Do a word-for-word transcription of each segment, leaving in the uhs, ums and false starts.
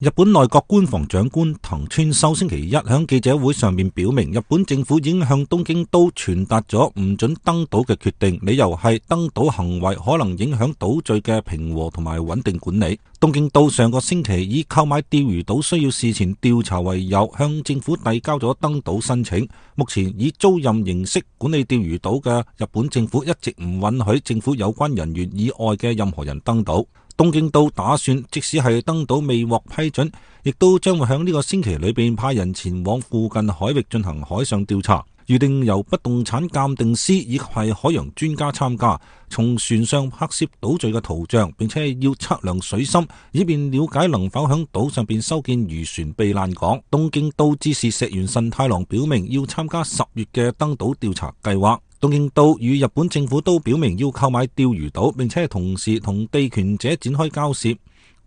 日本內閣官房長官藤村修星期一喺記者會上面表明，日本政府已經向東京都傳達咗唔准登島嘅決定，理由係登島行為可能影響島嶼嘅平和同埋穩定管理。東京都上個星期以購買釣魚島需要事前調查為由，向政府遞交咗登島申請。目前以租賃形式管理釣魚島嘅日本政府一直唔允許政府有關人員以外嘅任何人登島。東京都打算，即使係登島未獲批准，亦都將會喺呢個星期裏邊派人前往附近海域進行海上調查，預定由不動產鑑定師以及係海洋專家參加，從船上拍攝島嶼嘅圖像，並且要測量水深，以便了解能否喺島上邊修建漁船避難港。東京都知事石原慎太郎表明要參加十月嘅登島調查計劃。東京都與日本政府都表明要購買釣魚島，並且同時同地權者展開交涉。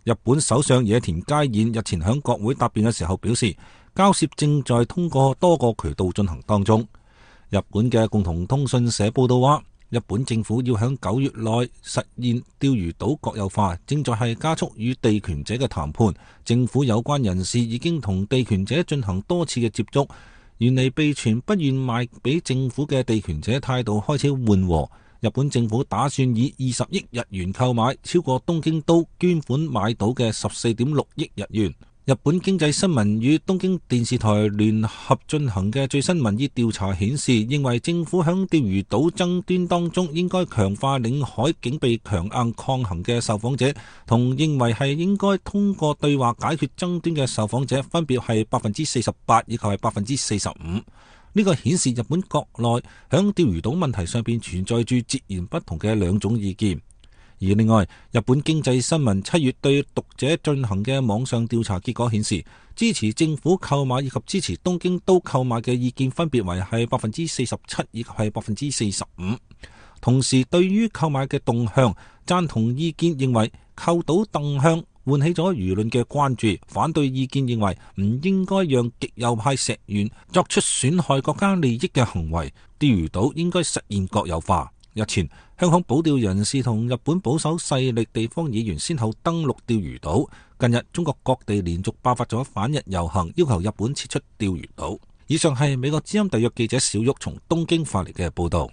日本首相野田佳彥日前喺國會答辯嘅時候表示，交涉正在通過多個渠道進行當中。日本嘅共同通訊社報道話，日本政府要喺九月內實現釣魚島國有化，正在係加速與地權者嘅談判。政府有關人士已經同地權者進行多次嘅接觸。原嚟被傳不願賣俾政府嘅地權者態度開始緩和，日本政府打算以二十億日元購買，超過東京都捐款買到嘅十四點六億日元。日本經濟新聞與東京電視台聯合進行嘅最新民意調查顯示，認為政府響釣魚島爭端當中應該強化領海警備強硬抗衡嘅受訪者，同認為係應該通過對話解決爭端嘅受訪者分別係百分之四十八以及係百分之四十五。呢個顯示日本國內響釣魚島問題上邊存在住截然不同嘅兩種意見。而另外，日本經濟新聞七月對讀者進行嘅網上調查結果顯示，支持政府購買以及支持東京都購買嘅意見分別為係百分之四十七以及係百分之四十五。同時，對於購買嘅動向，贊同意見認為購島動向喚起咗輿論嘅關注，反對意見認為唔應該讓極右派石原作出損害國家利益嘅行為，釣魚島應該實現國有化。日前，香港保釣人士同日本保守勢力地方議員先後登陸釣魚島。近日，中國各地連續爆發咗反日遊行，要求日本撤出釣魚島。以上係美國之音特約記者小玉從東京發嚟嘅報道。